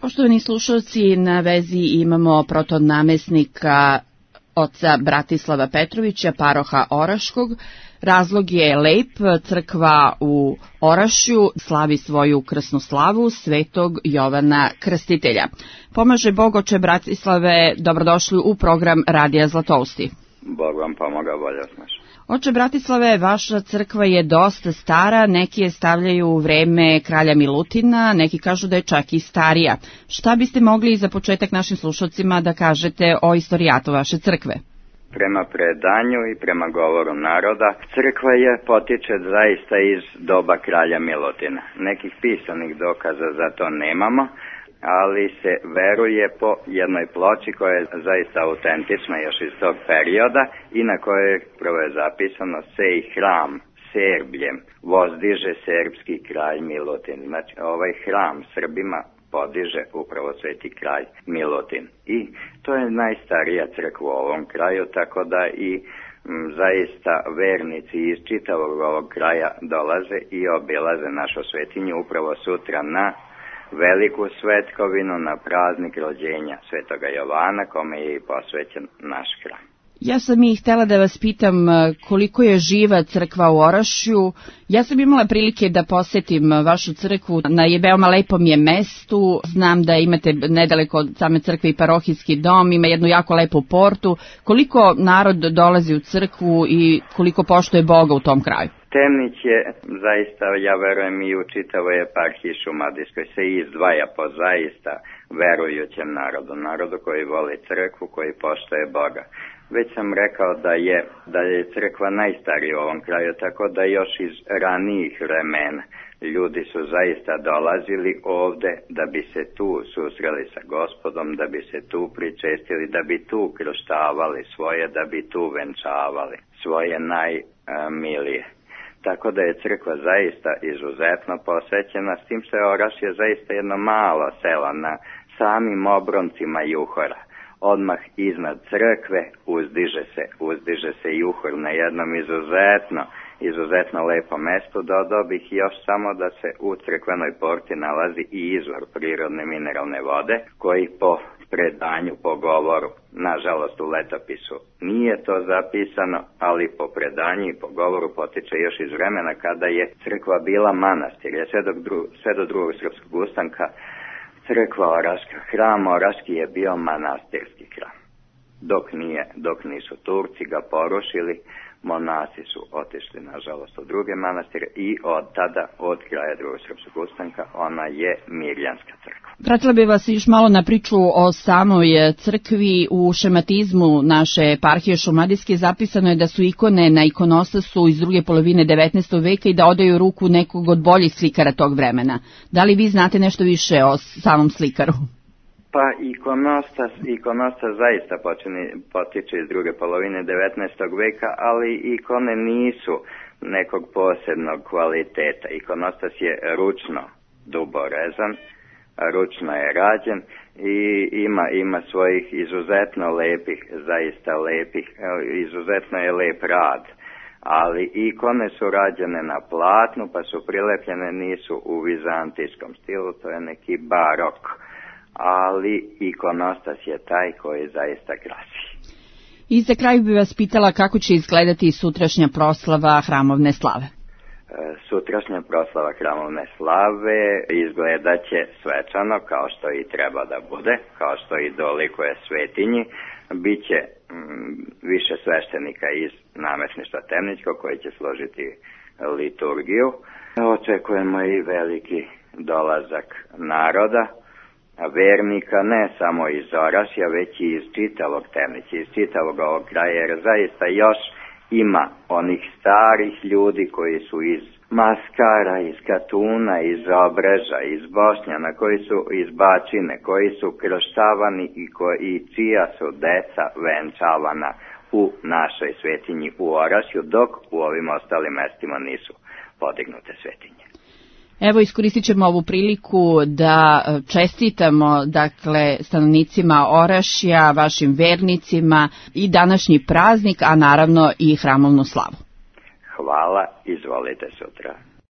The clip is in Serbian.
Poštovani slušalci, na vezi imamo protonamestnika oca Bratislava Petrovića, paroha Oraškog. Razlog je lep, crkva u Orašju slavi svoju krsnu slavu Svetog Jovana Krstitelja. Pomaže Bog, oče Bratislave, dobrodošli u program Radija Zlatousti. Bog vam pomoga, bolje snaš. Oče Bratislave, vaša crkva je dosta stara, neki je stavljaju u vreme kralja Milutina, neki kažu da je čak i starija. Šta biste mogli za početak našim slušalcima da kažete o istorijatu vaše crkve? Prema predanju i prema govoru naroda, crkva potiče zaista iz doba kralja Milutina. Nekih pisanih dokaza za to nemamo, ali se veruje po jednoj ploči koja je zaista autentična još iz tog perioda i na kojoj prvo je zapisano sej hram Serbljem vozdiže serbski kralj Milutin. Znači ovaj hram Srbima podiže upravo sveti kralj Milutin. I to je najstarija crkva u ovom kraju, tako da i zaista vernici iz čitavog ovog kraja dolaze i obilaze našu svetinju upravo sutra na veliku svetkovinu, na praznik rođenja Svetoga Jovana, kome je i posvećen naš hram. Ja sam i htela da vas pitam koliko je živa crkva u Orašju. Ja sam imala prilike da posetim vašu crkvu na veoma lepom je mestu. Znam da imate nedaleko od same crkve i parohijski dom, ima jednu jako lepu portu. Koliko narod dolazi u crkvu i koliko poštuje Boga u tom kraju? Temnić je zaista, ja verujem, i u čitavoj eparhiji šumadijskoj se izdvaja po zaista verujućem narodu koji voli crkvu, koji poštuje Boga. Već sam rekao da je crkva najstarija u ovom kraju, tako da još iz ranijih vremena ljudi su zaista dolazili ovde da bi se tu susreli sa Gospodom, da bi se tu pričestili, da bi tu krštavali svoje, da bi tu venčavali svoje najmilije. Tako da je crkva zaista izuzetno posvećena, s tim što je Orašje zaista jedno malo selo na samim obroncima Juhora. Odmah iznad crkve uzdiže se Juhor na jednom izuzetno lepo mesto. Dodao bih još samo da se u crkvenoj porti nalazi i izvor prirodne mineralne vode, koji po predanju, po govoru, nažalost u letopisu nije to zapisano, ali po predanju i po govoru potiče još iz vremena kada je crkva bila manastir. Sve do drugog srpskog ustanka crkva Oraška, hram Oraški je bio manastirski hram. Dok nisu Turci ga porušili, monasi su otišli nažalost u druge manastire i od tada, od kraja drugog srpskog ustanka, ona je mirjanska crkva. Vratila bi vas još malo na priču o samoj crkvi. U šematizmu naše eparhije šumadijske zapisano je da su ikone na ikonostasu iz druge polovine 19. veka i da odaju ruku nekog od boljih slikara tog vremena. Da li vi znate nešto više o samom slikaru? Pa ikonostas zaista potiče iz druge polovine 19. veka, ali ikone nisu nekog posebnog kvaliteta. Ikonostas je ručno duborezan, ručno je rađen i ima svojih izuzetno lepih, zaista lepih, izuzetno je lep rad. Ali ikone su rađene na platnu, pa su prilepljene, nisu u vizantijskom stilu, to je neki barok. Ali ikonostas je taj koji zaista krasi. I za kraj bih vas pitala kako će izgledati sutrašnja proslava hramovne slave. Sutrašnja proslava hramovne slave izgledaće svečano, kao što i treba da bude, kao što i dolikuje svetinji. Biće više sveštenika iz namesništva Temnićkog koji će složiti liturgiju. Očekujemo i veliki dolazak naroda, vernika, ne samo iz Orašja, već i iz čitavog Temnića, iz čitavog ovog kraja, jer zaista još ima onih starih ljudi koji su iz Maskara, iz Katuna, iz Obreža, iz Bošnjana, koji su iz Bačine, koji su krštavani i čija su deca venčavana u našoj svetinji u Orašju, dok u ovim ostalim mestima nisu podignute svetinje. Evo, iskoristit ćemo ovu priliku da čestitamo, stanovnicima Orašja, vašim vernicima i današnji praznik, a naravno i hramovnu slavu. Hvala, izvolite sutra.